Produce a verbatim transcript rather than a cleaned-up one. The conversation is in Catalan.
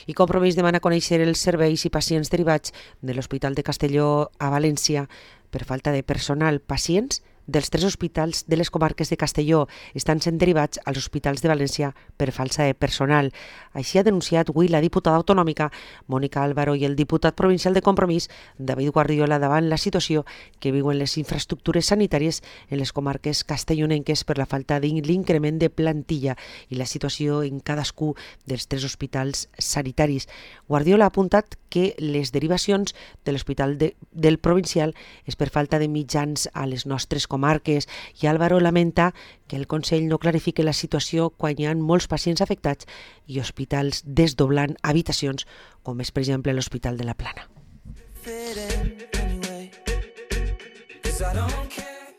I Compromís demana conèixer els serveis i pacients derivats de l'Hospital de Castelló a València per falta de personal. Pacients dels tres hospitals de les comarques de Castelló estan sent derivats als hospitals de València per falta de personal. Així ha denunciat avui la diputada autonòmica Mònica Álvaro i el diputat provincial de Compromís David Guardiola davant la situació que viuen les infraestructures sanitàries en les comarques castellonenques per la falta de l'increment de plantilla i la situació en cadascú dels tres hospitals sanitaris. Guardiola ha apuntat que les derivacions de l'hospital de, del provincial és per falta de mitjans a les nostres comarques i Álvaro lamenta que el Consell no clarifique la situació quan hi ha molts pacients afectats i hospitals desdoblant habitacions, com és per exemple l'Hospital de la Plana.